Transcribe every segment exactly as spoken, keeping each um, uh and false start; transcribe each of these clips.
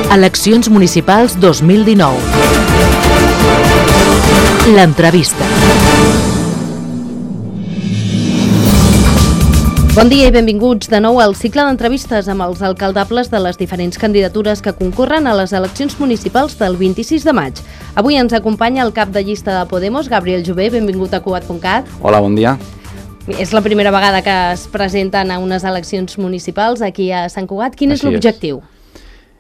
Eleccions municipals dos mil dinou. L'entrevista. Bon dia i benvinguts de nou al cicle d'entrevistes amb els alcaldables de les diferents candidatures que concorren a les eleccions municipals del vint-i-sis de maig. Avui ens acompanya el cap de llista de Podemos, Gabriel Jové. Benvingut a Cugat punt cat. Hola, bon dia. És la primera vegada que es presenten a unes eleccions municipals aquí a Sant Cugat. Quin és l'objectiu?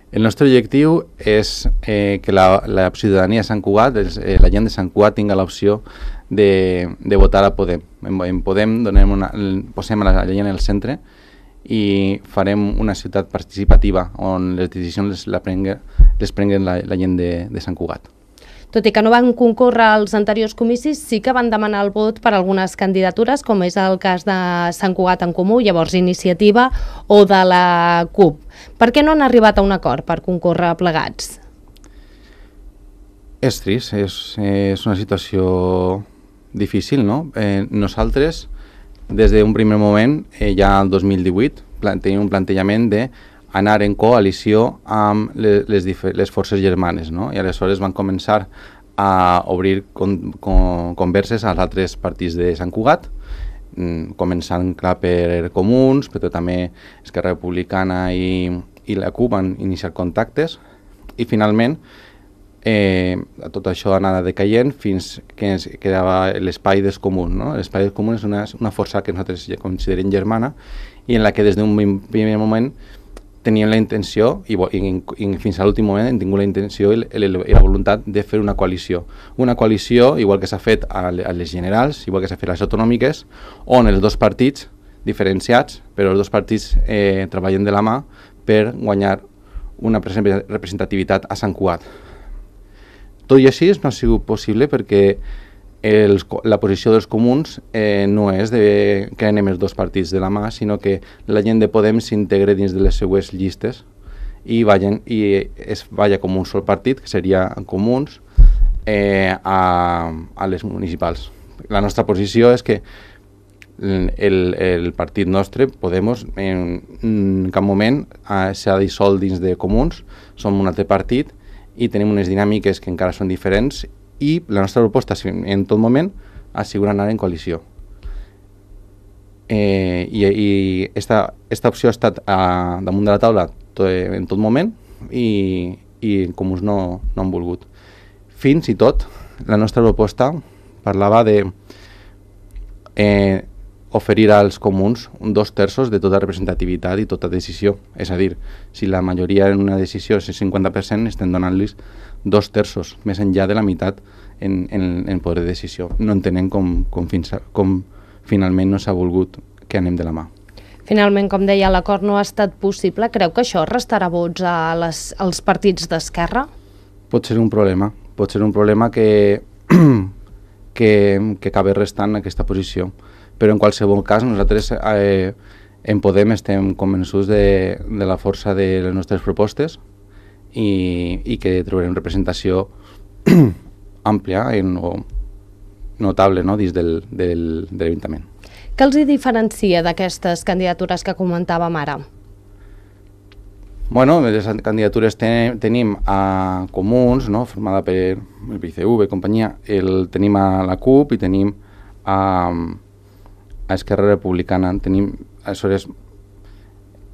El nostre objectiu és eh, que la, la ciutadania de Sant Cugat, eh, la gent de Sant Cugat, tinga l'opció de, de votar a Podem. En, en Podem donem una, posem la, la gent en el centre i farem una ciutat participativa on les decisions les, la prengue, les prenguen la, la gent de, de Sant Cugat. Tot i que no van concórrer als anteriors comicis, sí que van demanar el vot per algunes candidatures, com és el cas de Sant Cugat en Comú, llavors Iniciativa, o de la CUP. Per què no han arribat a un acord per concórrer plegats? És trist, és, és una situació difícil, no? Eh, nosaltres, des d'un primer moment, eh, ja el dos mil divuit, tenim un plantejament de anar en coalició amb les, les, les forces germanes, no? I aleshores van començar a obrir con, con, converses als altres partits de Sant Cugat, començant clar per Comuns, però també Esquerra Republicana i, i la CUP van iniciar contactes i finalment eh, tot això anava decaient fins que ens quedava l'espai dels comuns, no? L'espai dels comuns és una, una força que nosaltres ja considerem germana i en la que des d'un primer moment teníem la intenció, i, i, i fins a l'últim moment hem tingut la intenció i, i la voluntat de fer una coalició. Una coalició, igual que s'ha fet a, a les generals, igual que s'ha fet a les autonòmiques, on els dos partits diferenciats, però els dos partits eh, treballen de la mà per guanyar una representativitat a Sant Cugat. Tot i així no ha sigut possible perquè Els, la posició dels comuns eh, no és de que anem els dos partits de la mà, sinó que la gent de Podem s'integre dins de les seues llistes i, vagin, i es vaya com un sol partit, que seria Comuns, eh, a, a les municipals. La nostra posició és que el, el partit nostre, Podemos, en, en cap moment eh, s'ha dissolt dins de Comuns, som un altre partit i tenim unes dinàmiques que encara són diferents i la nostra proposta en tot moment ha sigut anar en coalició. Eh, I i esta, esta opció ha estat a, damunt de la taula to, en tot moment i, i Comuns no, no han volgut. Fins i tot la nostra proposta parlava de eh, oferir als comuns un dos terços de tota representativitat i tota decisió. És a dir, si la majoria en una decisió és el cinquanta per cent, estem donant-los dos terços, més enllà de la meitat en, en, en poder de decisió. No entenem com, com, fins a, com finalment no s'ha volgut que anem de la mà. Finalment, com deia, l'acord no ha estat possible. Creu que això restarà vots a les, als partits d'Esquerra? Pot ser un problema. Pot ser un problema que, que, que acabi restant aquesta posició. Però en qualsevol cas nosaltres eh, en Podem estem convençuts de, de la força de les nostres propostes i, i que trobarem representació àmplia en, o notable, no?, dins del, del, de l'Ajuntament. Què els hi diferencia d'aquestes candidatures que comentàvem ara? Bueno, les candidatures ten, tenim a Comuns, no?, formada per el P C V, companyia, el, tenim a la CUP i tenim a a Esquerra Republicana. Tenim, aleshores,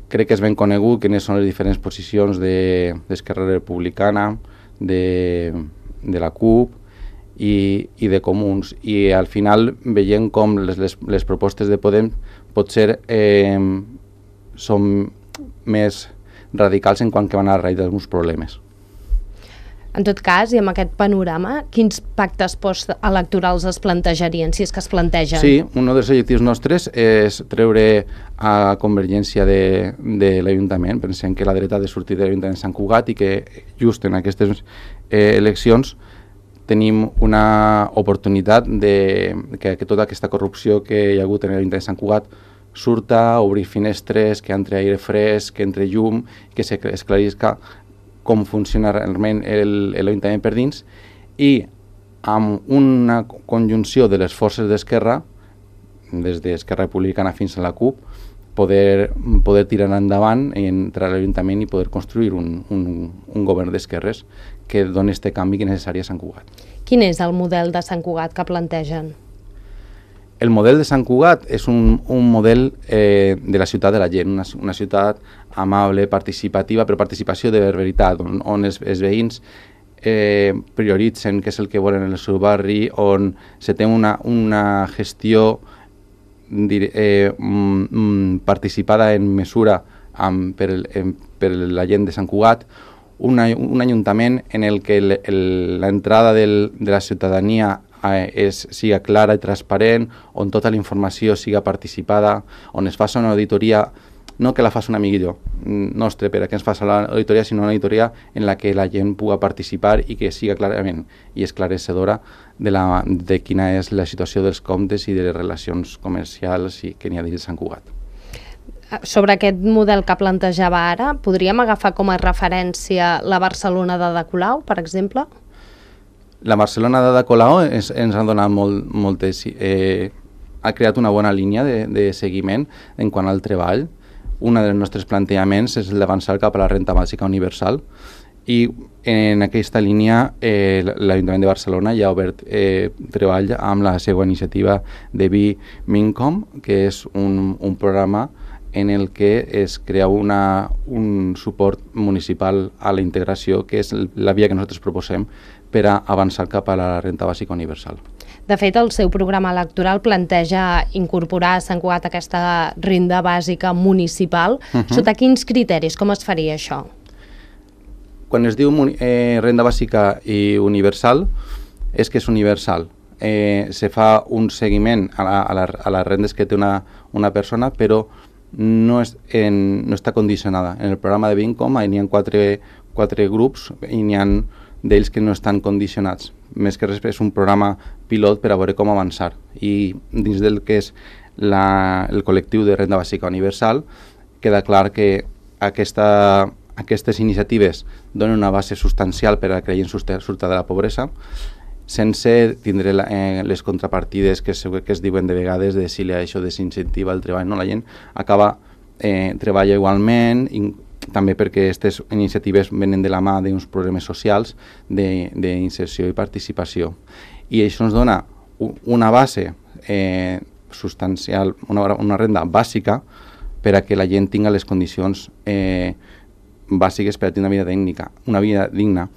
crec que és ben conegut quines són les diferents posicions d'Esquerra de, Republicana, de, de la CUP i, i de Comuns. I al final veiem com les, les, les propostes de Podem potser eh, són més radicals en quant que van a arreglar alguns problemes. En tot cas, i amb aquest panorama, quins pactes postelectorals es plantejarien, si és que es plantegen? Sí, un dels objectius nostres és treure a Convergència de, de l'Ajuntament. Pensem que la dreta ha de sortir de l'Ajuntament de Sant Cugat i que just en aquestes eh, eleccions tenim una oportunitat de que, que tota aquesta corrupció que hi ha hagut en l'Ajuntament de Sant Cugat surta, obrir finestres, que entre aire fresc, que entre llum, que s'esclarisca com funciona realment l'Ajuntament per dins i amb una conjunció de les forces d'Esquerra, des d'Esquerra Republicana fins a la CUP, poder, poder tirar endavant entre l'Ajuntament i poder construir un, un, un govern d'esquerres que doni este canvi que és necessari a Sant Cugat. Quin és el model de Sant Cugat que plantegen? El model de Sant Cugat és un, un model eh, de la ciutat de la gent, una, una ciutat amable, participativa, però participació de veritat, on, on els, els veïns eh, prioritzen què és el que volen en el seu barri, on se té una, una gestió Eh, mm, participada en mesura amb, per, el, en, per la gent de Sant Cugat, un, un ajuntament en el que l'entrada de la ciutadania eh, és, siga clara i transparent, on tota la informació siga participada, on es faci una auditoria, no que la faci un amiguillo nostre per a que ens faci l'auditoria, sinó una auditoria en la que la gent pugui participar i que siga clarament i esclarecedora de, la, de quina és la situació dels comptes i de les relacions comercials i que n'hi ha dins de Sant Cugat. Sobre aquest model que plantejava ara, podríem agafar com a referència la Barcelona d'Ada Colau, per exemple? La Barcelona d'Ada Colau ens, ens ha donat molt, moltes... Eh, ha creat una bona línia de, de seguiment en quant al treball. Un dels nostres plantejaments és el d'avançar cap a la renta bàsica universal i en aquesta línia eh, l'Ajuntament de Barcelona ja ha obert eh, treball amb la seva iniciativa de Be Mincom, que és un, un programa en el que es crea una, un suport municipal a la integració, que és la via que nosaltres proposem per a avançar cap a la renta bàsica universal. De fet, el seu programa electoral planteja incorporar a Sant Cugat aquesta renda bàsica municipal. Uh -huh. Sota quins criteris? Com es faria això? Quan es diu eh, renda bàsica i universal, és que és universal. Eh, se fa un seguiment a, la, a, la, a les rendes que té una, una persona, però no, és en, no està condicionada. En el programa de Vincom n'hi ha quatre, quatre grups i n'hi ha d'ells que no estan condicionats. Més que res és un programa pilot per a veure com avançar. I dins del que és la, el col·lectiu de renda bàsica universal, queda clar que aquesta, aquestes iniciatives donen una base substancial per a que la gent surti de la pobresa, sense tindre la, eh, les contrapartides que, es, que es diuen de vegades de si això desincentiva el treball. No? La gent acaba, eh, treballa igualment, i també perquè aquestes iniciatives venen de la mà d'uns problemes socials d'inserció i participació. I això ens dona una base eh, substancial, una, una renda bàsica per a que la gent tingui les condicions eh, bàsiques per a tenir una vida tècnica, una vida digna,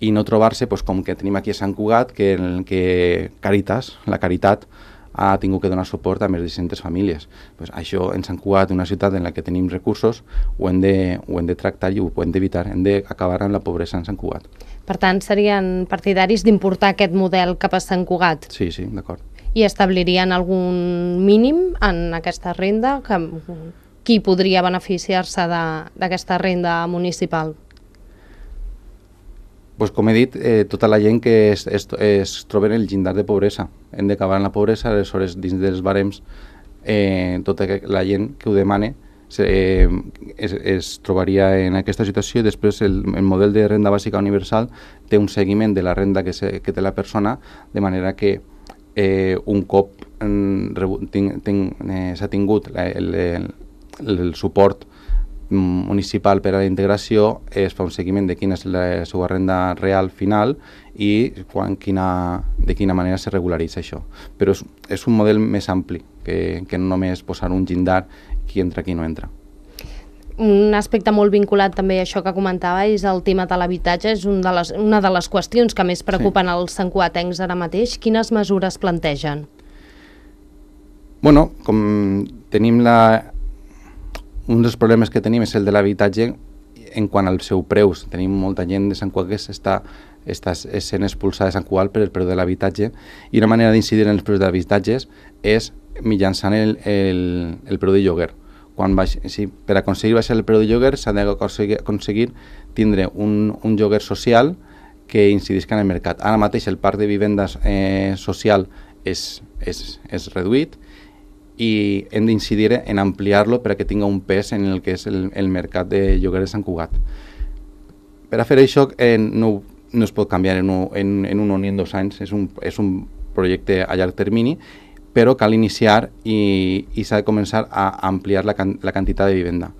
i no trobar-se pues, com que tenim aquí a Sant Cugat, que, en que Caritas, la Caritat, ha tingut que donar suport a més de cent famílies. Pues això en Sant Cugat, una ciutat en la que tenim recursos, ho hem de, ho hem de tractar i ho hem d'evitar. Hem d'acabar amb la pobresa en Sant Cugat. Per tant, serien partidaris d'importar aquest model cap a Sant Cugat? Sí, sí, d'acord. I establirien algun mínim en aquesta renda? Que, qui podria beneficiar-se d'aquesta renda municipal? Pues, com he dit, eh, tota la gent que es, es, es troba en el llindar de pobresa. Hem d'acabar en la pobresa, aleshores dins dels barems eh, tota la gent que ho demane se, eh, es, es trobaria en aquesta situació, i després el, el model de renda bàsica universal té un seguiment de la renda que, se, que té la persona, de manera que eh, un cop eh, s'ha tingut la, el, el, el suport municipal per a la integració, es fa un seguiment de quina és la seva renda real final i quan, quina, de quina manera se regularitza això. Però és, és un model més ampli que, que no només posar un llindar qui entra, qui no entra. Un aspecte molt vinculat també a això que comentava és el tema de l'habitatge. És un de les, una de les qüestions que més preocupen sí. els santcugatencs ara mateix. Quines mesures plantegen? Bueno, com tenim la... Un dels problemes que tenim és el de l'habitatge en quant al seu preus. Tenim molta gent de Sant Cugat que està, està sent expulsada de Sant Cugat per el preu de l'habitatge, i una manera d'incidir en els preus de l'habitatges és mitjançant el, el, el preu de lloguer. Quan baix, sí, per aconseguir baixar el preu de lloguer s'ha d'aconseguir aconseguir tindre un, un lloguer social que incidisca en el mercat. Ara mateix el parc de vivendes eh, social és, és, és reduït, i hem d'incidir en ampliar-lo per a que tingui un pes en el que és el, el mercat de lloguer de Sant Cugat. Per a fer això eh, no, no es pot canviar en un, en, en un o ni en dos anys, és un, és un projecte a llarg termini, però cal iniciar i, i s'ha de començar a ampliar la, can, la quantitat de vivenda.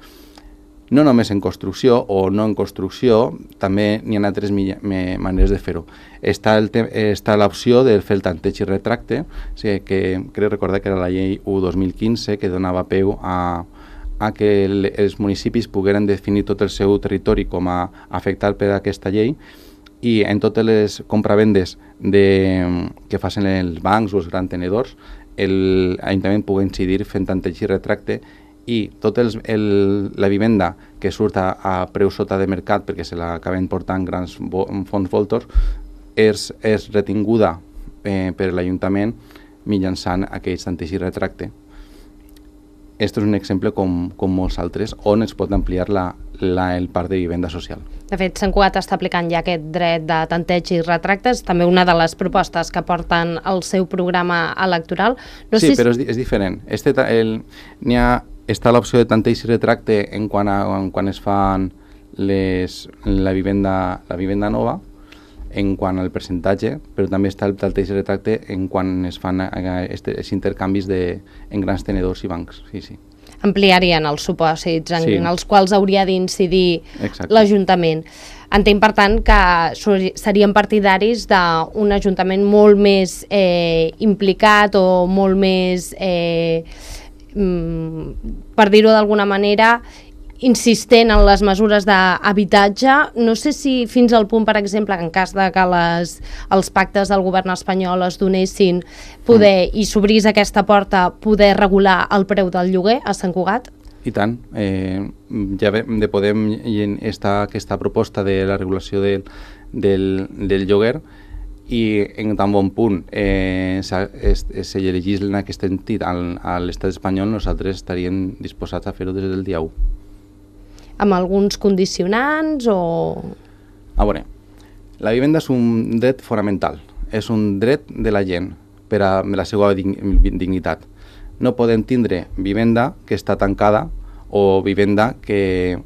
No només en construcció o no en construcció, també n'hi ha altres maneres de fer-ho. Està, el està l'opció de fer el tanteig i retracte, o sigui, que crec recordar que era la llei u dos mil quinze que donava peu a, a que el, els municipis pogueren definir tot el seu territori com a afectat per aquesta llei, i en totes les compravendes de, que facin els bancs o els grans tenedors, l'Ajuntament pugui incidir fent tanteig i retracte, i tota la vivenda que surt a, a preu sota de mercat perquè se l'acaben portant grans fons voltors és, és retinguda eh, per l'Ajuntament mitjançant aquells tanteig i retracte. Aquest és un exemple com, com molts altres on es pot ampliar la, la, el parc de vivenda social. De fet, Sant Cugat està aplicant ja aquest dret de tanteig i retractes, també una de les propostes que porten al seu programa electoral. No sí, sé però és, és diferent. Este, el, n'hi ha, està l'opció de tanteig i retracte en quan, a, en quan es fan les, la, vivenda, la vivenda nova, en quant al percentatge, però també està el tanteig i retracte en quan es fan aquests intercanvis de, en grans tenedors i bancs. Sí, sí. Ampliarien els supòsits en sí. els quals hauria d'incidir l'Ajuntament. Entenc, per tant, que serien partidaris d'un Ajuntament molt més eh, implicat o molt més, eh, per dir-ho d'alguna manera, insistent en les mesures d'habitatge. No sé si fins al punt, per exemple, en cas de que les, els pactes del govern espanyol es donessin poder, mm. i s'obrís aquesta porta, poder regular el preu del lloguer a Sant Cugat? I tant. Eh, ja de Podem està aquesta proposta de la regulació del, del, del lloguer, i en tan bon punt eh, se legisla en aquest sentit a l'estat espanyol, nosaltres estaríem disposats a fer-ho des del dia u. Amb alguns condicionants o...? A veure, la vivenda és un dret fonamental, és un dret de la gent per a la seva dignitat. No podem tindre vivenda que està tancada o vivenda que,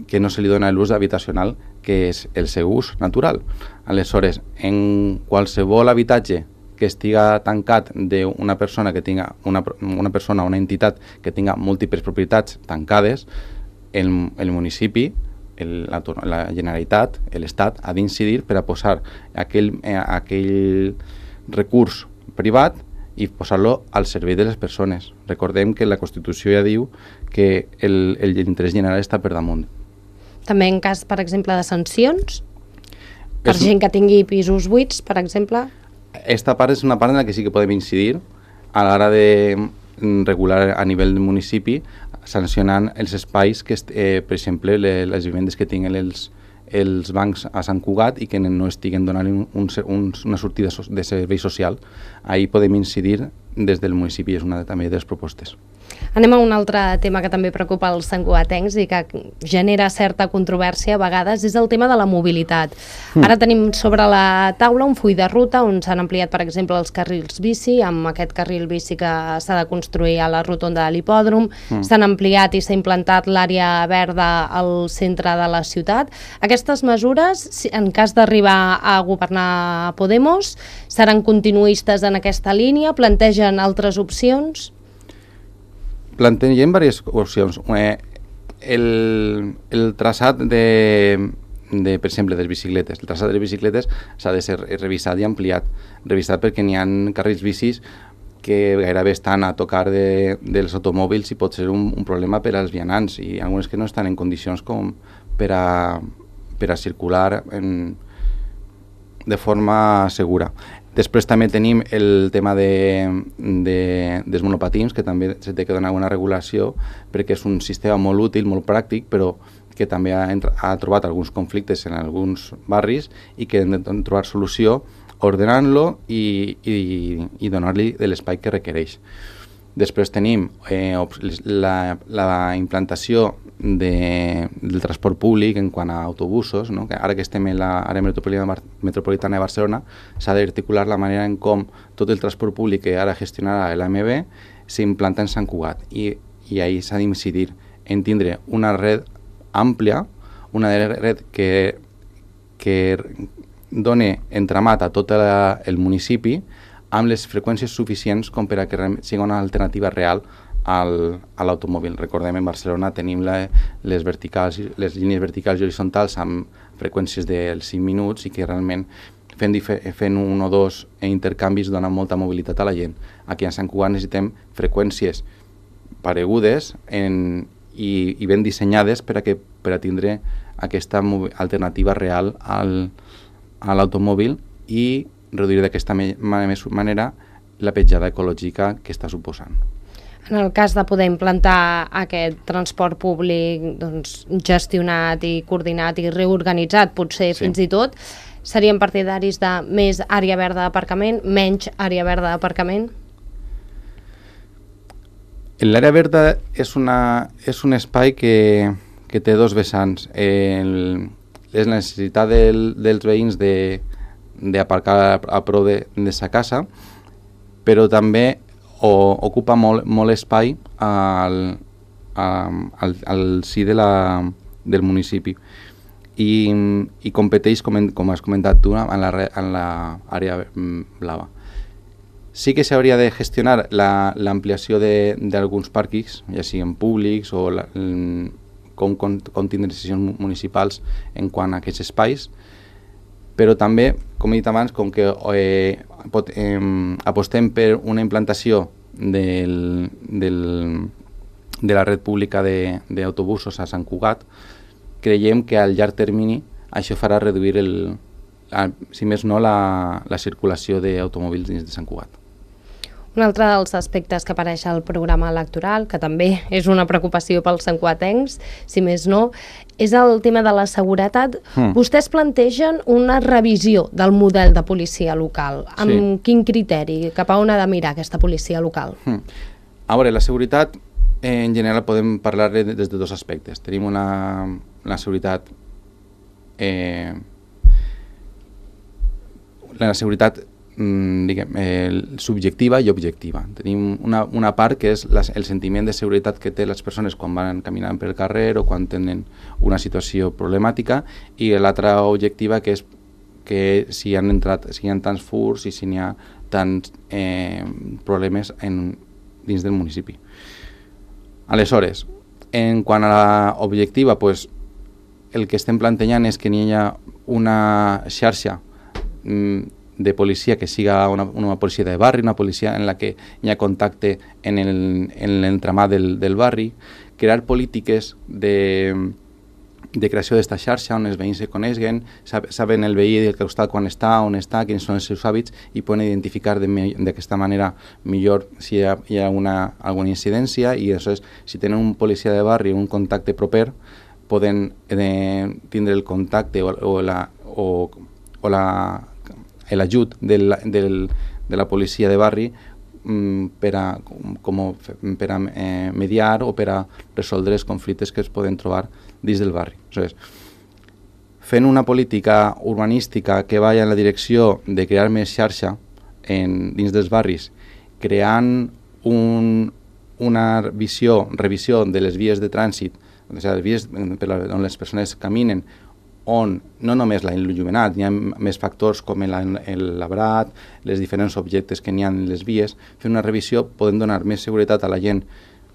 que no se li dona l'ús habitacional, que és el seu ús natural. Aleshores, en qualsevol habitatge que estiga tancat d'una persona que tinga una, una persona o una entitat que tinga múltiples propietats tancades, El, el municipi, el, la, la Generalitat, l'Estat, ha d'incidir per a posar aquell, eh, aquell recurs privat i posar-lo al servei de les persones. Recordem que la Constitució ja diu que l'interès general està per damunt. També en cas, per exemple, de sancions? Per és, gent que tingui pisos buits, per exemple? Esta part és una part en la que sí que podem incidir a l'hora de regular a nivell del municipi, sancionant els espais que, eh, per exemple, les vivendes que tinguen els, els bancs a Sant Cugat i que no estiguen donant un, un, una sortida de servei social. Ahí podem incidir des del municipi, és una també de les propostes. Anem a un altre tema que també preocupa els santcugatencs i que genera certa controvèrsia a vegades, és el tema de la mobilitat. Mm. Ara tenim sobre la taula un full de ruta on s'han ampliat, per exemple, els carrils bici, amb aquest carril bici que s'ha de construir a la rotonda de l'hipòdrom, mm. s'han ampliat i s'ha implantat l'àrea verda al centre de la ciutat. Aquestes mesures, en cas d'arribar a governar Podemos, seran continuistes en aquesta línia? Plantegen altres opcions? Plantegem diverses opcions. Eh, el, el traçat de, de, per exemple, de les bicicletes. El traçat de les bicicletes s'ha de ser revisat i ampliat. Revisat perquè n'hi ha carrils bicis que gairebé estan a tocar de, dels automòbils i pot ser un, un problema per als vianants, i algunes que no estan en condicions com per a, per a circular en, de forma segura. Després també tenim el tema de, de, dels monopatins, que també s'ha de donar una regulació perquè és un sistema molt útil, molt pràctic, però que també ha, ha trobat alguns conflictes en alguns barris i que hem de trobar solució ordenant-lo i, i, i donar-li de l'espai que requereix. Després tenim eh, la, la implantació de, del transport públic en quant a autobusos, no? Que ara que estem en l'àrea metropolitana, metropolitana de Barcelona, s'ha d'articular la manera en com tot el transport públic que ara gestionarà l'A M B s'implanta en Sant Cugat, i, i ahir s'ha d'incidir en tindre una red àmplia, una red que, que doni entramat a tot la, el municipi amb les freqüències suficients com per a que sigui una alternativa real al, a l'automòbil. Recordem, en Barcelona tenim la, les, verticals, les línies verticals i horitzontals amb freqüències dels cinc minuts i que realment fent, fent un o dos intercanvis dona molta mobilitat a la gent. Aquí a Sant Cugat necessitem freqüències paregudes en, i, i ben dissenyades per a, que, per a tindre aquesta alternativa real al, a l'automòbil i reduir d'aquesta manera la petjada ecològica que està suposant. En el cas de poder implantar aquest transport públic doncs, gestionat i coordinat i reorganitzat, potser sí. Fins i tot, serien partidaris de més àrea verda d'aparcament, menys àrea verda d'aparcament? L'àrea verda és, una, és un espai que, que té dos vessants. El, és la necessitat del, dels veïns de, d'aparcar a prop de, de sa casa, però també o, ocupa molt, molt espai al, al, al si de la, del municipi i, i competeix, com, com has comentat tu, en l'àrea blava. Sí que s'hauria de gestionar l'ampliació d'alguns pàrquings, ja siguin públics o la, com, com, com tindre decisions municipals en quant a aquests espais, però també, com he dit abans, com que eh, pot, eh, apostem per una implantació del, del, de la red pública d'autobusos a Sant Cugat, creiem que al llarg termini això farà reduir, el, la, si més no, la, la circulació d'automòbils dins de Sant Cugat. Un altre dels aspectes que apareix al programa electoral, que també és una preocupació pels santcugatencs, si més no, és el tema de la seguretat. Mm. Vostès plantegen una revisió del model de policia local. Amb sí. Quin criteri? Cap a on ha de mirar aquesta policia local? Mm. A veure, la seguretat, eh, en general, podem parlar des de dos aspectes. Tenim una, una seguretat... Eh, la seguretat diguem, eh, subjectiva i objectiva. Tenim una, una part que és la, el sentiment de seguretat que té les persones quan van caminant pel carrer o quan tenen una situació problemàtica, i l'altra objectiva que és que si han entrat, si hi ha tants furs i si n'hi ha tants eh, problemes en, dins del municipi. Aleshores, en quant a l'objectiva, pues, el que estem plantejant és que n'hi ha una xarxa mm, de policia que siga una, una policia de barri, una policia en la que hi ha contacte en l'entramat del, del barri, crear polítiques de, de creació d'esta xarxa on els veïns se coneixen, sab, saben el veí del costat quan està, on està, quins són els seus hàbits i poden identificar d'aquesta manera millor si hi ha, hi ha una, alguna incidència, i aleshores, si tenen un policia de barri, un contacte proper, poden eh, tindre el contacte o, o la... O, o la l'ajut del, del, de la policia de barri mm, per a, com, per a eh, mediar o per a resoldre els conflictes que es poden trobar dins del barri. Aleshores, fent una política urbanística que vagi en la direcció de crear més xarxa en, dins dels barris, creant un, una visió, revisió de les vies de trànsit, o sigui, les vies per la, on les persones caminen, on no només l'il·luminat, hi ha més factors com el labrat, les diferents objectes que n'hi ha en les vies, fent una revisió podem donar més seguretat a la gent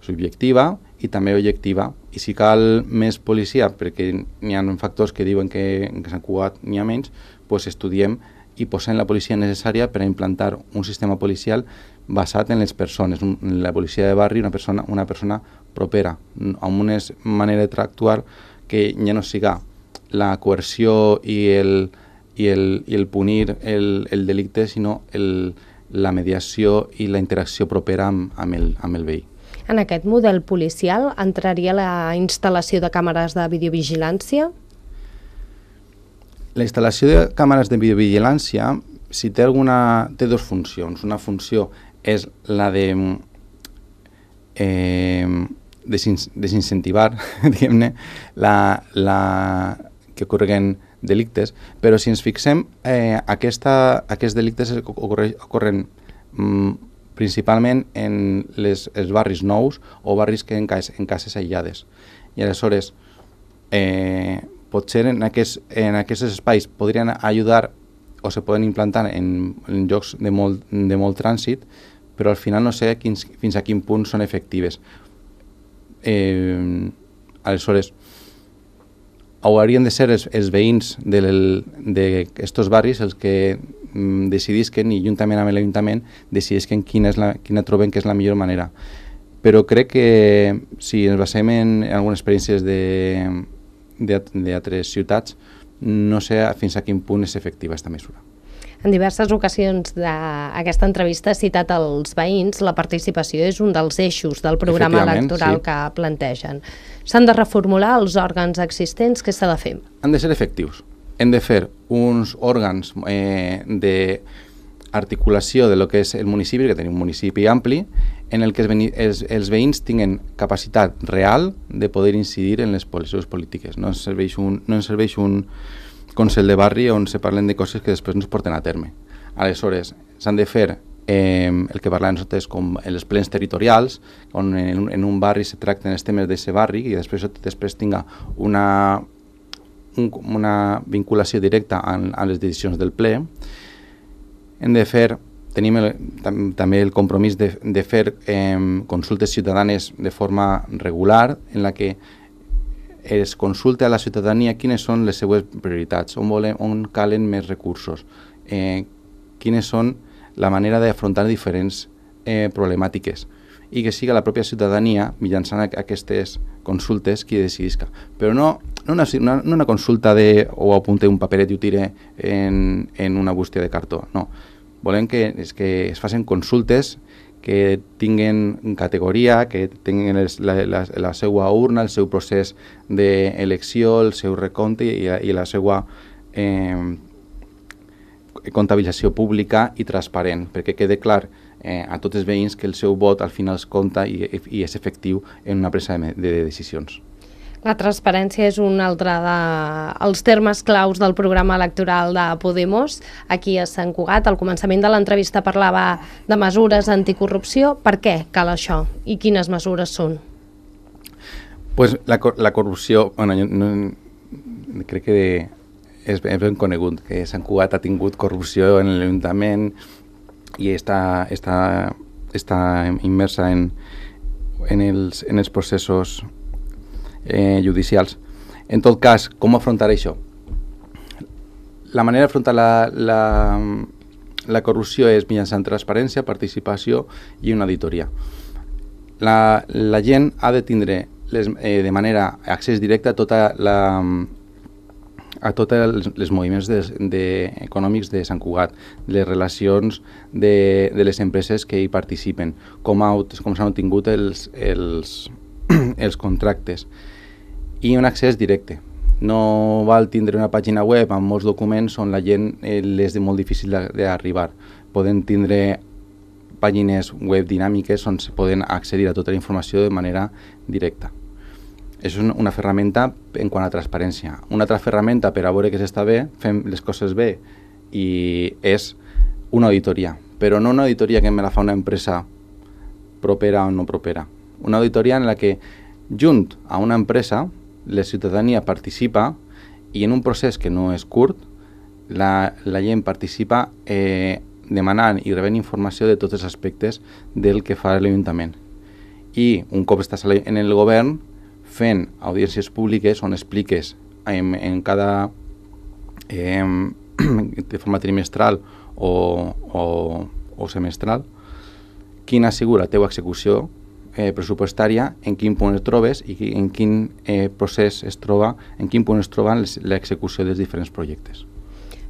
subjectiva i també objectiva, i si cal més policia, perquè n'hi ha factors que diuen que en Sant Cugat n'hi ha menys, doncs estudiem i posem la policia necessària per a implantar un sistema policial basat en les persones, la policia de barri, una persona, una persona propera, amb una manera d'actuar que ja no siga la coerció i el, i el, i el punir el, el delicte, sinó el, la mediació i la interacció propera amb, amb, el, amb el veí. En aquest model policial entraria la instal·lació de càmeres de videovigilància? La instal·lació de càmeres de videovigilància, si té alguna, té dues funcions. Una funció és la de eh, desincentivar, diguem-ne, la, la que ocorren delictes, però si ens fixem, eh, aquesta, aquests delictes ocorre, ocorren mm, principalment en les, els barris nous o barris que en, cas, en cases aïllades. I aleshores, eh, potser en, aquest, en aquests espais podrien ajudar o se poden implantar en, en llocs de molt, de molt trànsit, però al final no sé quins, fins a quin punt són efectives. Eh, aleshores, haurien de ser els, els veïns d'aquests barris els que mm, decidisquen i juntament amb l'Ajuntament decidisquen quina, és la, quina troben que és la millor manera. Però crec que si ens basem en, en algunes experiències d'altres ciutats, no sé fins a quin punt és efectiva aquesta mesura. En diverses ocasions d'aquesta entrevista ha citat els veïns, la participació és un dels eixos del programa electoral sí. que plantegen. S'han de reformular els òrgans existents, què s'ha de fer? Han de ser efectius. Hem de fer uns òrgans eh, d'articulació de lo que és el municipi, que tenim un municipi ampli, en el que els, els, els veïns tinguen capacitat real de poder incidir en les seves polítiques. No ens serveix un, no ens serveix un Consell de barri on se parlen de coses que després no es porten a terme. Aleshores, s'han de fer eh, el que parlem nosaltres com els plens territorials, on en, en un barri se tracten els temes d'aquest barri i després, després tinga una, un, una vinculació directa a, a les decisions del ple. Hem de fer, tenim el, tam, també el compromís de, de fer eh, consultes ciutadanes de forma regular, en la que es consulta a la ciutadania quines són les seues prioritats, on, volem, on calen més recursos, eh, quines són la manera d'afrontar diferents eh, problemàtiques i que siga la pròpia ciutadania, mitjançant aquestes consultes, qui decidisca. Però no, no, una, no una consulta de o apunte un paperet i ho tire en, en una bústia de cartó, no. Volem que, és que es facin consultes que tinguen categoria, que tinguin les, la, la, la seva urna, el seu procés d'elecció, el seu recompte i, i la seva eh, comptabilització pública i transparent, perquè quede clar eh, a tots els veïns que el seu vot al final es compta i, i és efectiu en una presa de, de decisions. La transparència és un altre dels de, termes claus del programa electoral de Podemos. Aquí a Sant Cugat, al començament de l'entrevista parlava de mesures anticorrupció. Per què cal això? I quines mesures són? Pues la, la corrupció, bueno, jo no, crec que és, és ben conegut, que Sant Cugat ha tingut corrupció en l'Ajuntament i està, està, està immersa en, en, els, en els processos Eh, judicials. En tot cas, com afrontar això? La manera d'afrontar la, la, la corrupció és mitjançant transparència, participació i una auditoria. La, la gent ha de tindre les, eh, de manera accés directe a tota la a tots els, els moviments de, de, econòmics de Sant Cugat, les relacions de, de les empreses que hi participen, com, ha, com s'han obtingut els, els, els contractes, i un accés directe. No val tindre una pàgina web amb molts documents on la gent eh, és de molt difícil d'arribar. Poden tindre pàgines web dinàmiques on se poden accedir a tota la informació de manera directa. Això és una ferramenta en quant a transparència. Una altra ferramenta per a veure que s'està bé, fem les coses bé, i és una auditoria. Però no una auditoria que me la fa una empresa propera o no propera. Una auditoria en la que, junt a una empresa, la ciutadania participa i en un procés que no és curt, la, la gent participa eh, demanant i rebent informació de tots els aspectes del que fa l'Ajuntament. I un cop estàs en el govern, fent audiències públiques on expliques en, en cada eh, de forma trimestral o, o, o semestral quina ha sigut la teva execució Eh, pressupostària, en quin punt es trobes i en quin eh, procés es troba, en quin punt es troba l'execució dels diferents projectes.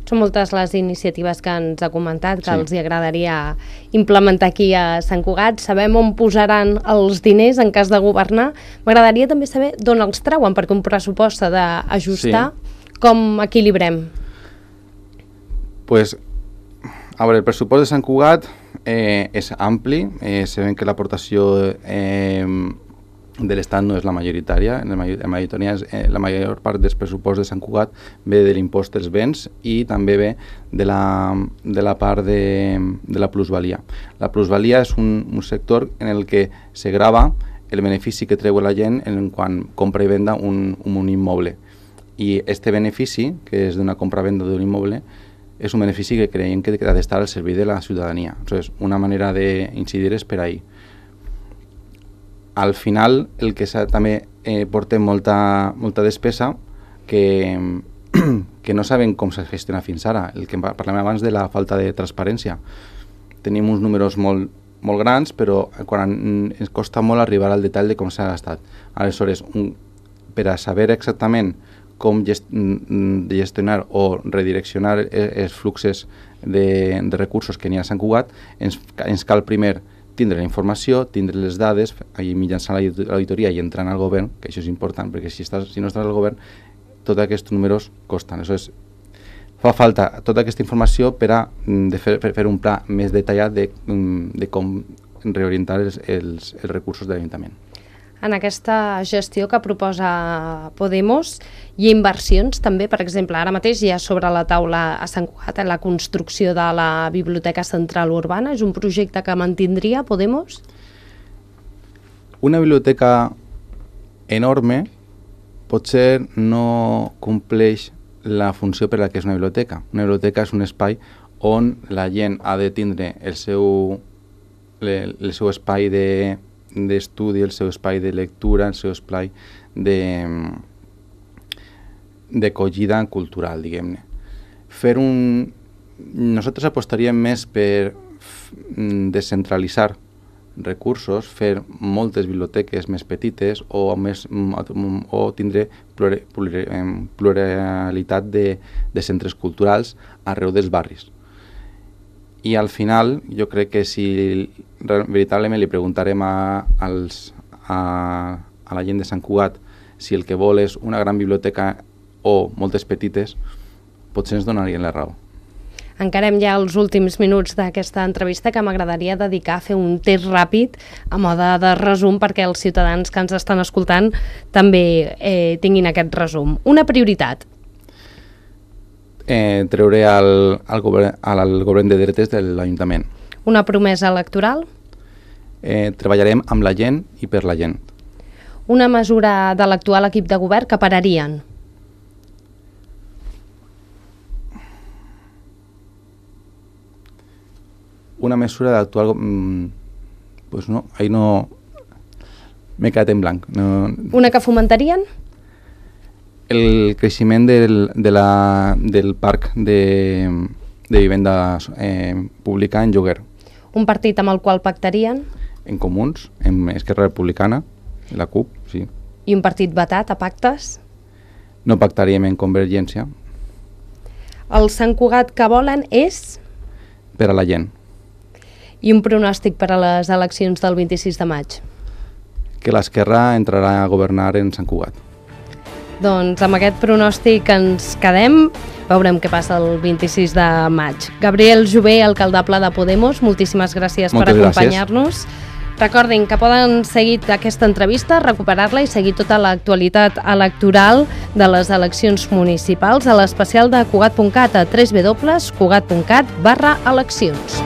Són moltes les iniciatives que ens ha comentat que sí. els hi agradaria implementar aquí a Sant Cugat. Sabem on posaran els diners en cas de governar. M'agradaria també saber d'on els treuen, perquè un pressupost s'ha d'ajustar. Sí. Com equilibrem? Pues, a veure, el pressupost de Sant Cugat Eh, és ampli, eh, sabem que l'aportació eh, de l'Estat no és la majoritària, la, majoritària és, eh, la major part dels pressupost de Sant Cugat ve de l'impost dels béns i també ve de la, de la part de, de la plusvalia. La plusvalia és un, un sector en el que se grava el benefici que treu la gent en quan compra i venda un, un immoble. I este benefici, que és d'una compra-venda d'un immoble, és un benefici que creiem que ha d'estar al servei de la ciutadania. Entonces, una manera d'incidir és per ahí. Al final, el que també eh, porta molta, molta despesa que, que no saben com s'ha gestionat fins ara. El que parlem abans de la falta de transparència. Tenim uns números molt, molt grans, però quan ens costa molt arribar al detall de com s'ha gastat. Aleshores, un, per a saber exactament com gestionar o redireccionar els fluxos de, de recursos que n'hi ha a Sant Cugat, ens, ens cal primer tindre la informació, tindre les dades, i mitjançant l'auditoria i entrant al govern, que això és important, perquè si, estàs, si no estàs al govern, tots aquests números costen. Aleshores, fa falta tota aquesta informació per a de fer, per fer un pla més detallat de, de com reorientar els, els, els recursos de l'Ajuntament. En aquesta gestió que proposa Podemos hi ha inversions també, per exemple, ara mateix hi ha sobre la taula a Sant Cugat la construcció de la Biblioteca Central Urbana. És un projecte que mantindria Podemos? Una biblioteca enorme potser no compleix la funció per la que és una biblioteca. Una biblioteca és un espai on la gent ha de tindre el seu, el, el seu espai de d'estudi, el seu espai de lectura, el seu espai de d'acollida cultural, diguem-ne. Fer un... Nosaltres apostaríem més per descentralitzar recursos, fer moltes biblioteques més petites o, més, o tindre pluralitat de, de centres culturals arreu dels barris. I al final, jo crec que si veritablement li preguntarem a, als, a, a la gent de Sant Cugat si el que vol és una gran biblioteca o moltes petites, potser ens donarien la raó. Encarem ja els últims minuts d'aquesta entrevista, que m'agradaria dedicar a fer un test ràpid a mode de resum perquè els ciutadans que ens estan escoltant també eh, tinguin aquest resum. Una prioritat. Eh, treure al, al, govern, al govern de dretes de l'Ajuntament. Una promesa electoral? Eh, treballarem amb la gent i per la gent. Una mesura de l'actual equip de govern que pararien? Una mesura de l'actual... Mm, pues no, ahí no... M'he quedat en blanc. No... Una que fomentarien? El creixement del, de la, del parc de, de vivenda eh, pública en lloguer. Un partit amb el qual pactarien? En Comuns, en Esquerra Republicana, la CUP, sí. I un partit vetat a pactes? No pactaríem en Convergència. El Sant Cugat que volen és? Per a la gent. I un pronòstic per a les eleccions del vint-i-sis de maig? Que l'Esquerra entrarà a governar en Sant Cugat. Doncs amb aquest pronòstic ens quedem. Veurem què passa el vint-i-sis de maig. Gabriel Jové, alcaldable de Podemos, moltíssimes gràcies Moltes per acompanyar-nos. Recordin que poden seguir aquesta entrevista, recuperar-la i seguir tota l'actualitat electoral de les eleccions municipals a l'especial de Cugat punt cat a w w w punt cugat punt cat barra eleccions.